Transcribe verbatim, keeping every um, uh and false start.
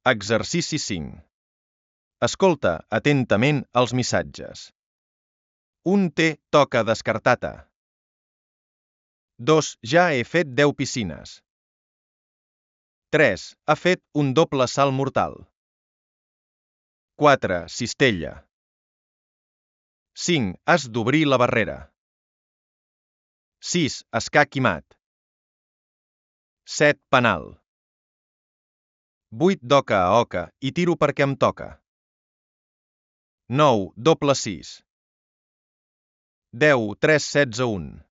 Exercici cinc. Escolta atentament els missatges. un T toca descartar-te. dos Ja he fet deu piscines. tres Ha fet un doble salt mortal. quatre Cistella. cinc Has d'obrir la barrera. sis Escac i mat. set Penal. vuit D'oca a oca i tiro perquè em toca. nou Doble sis. deu tres setze un.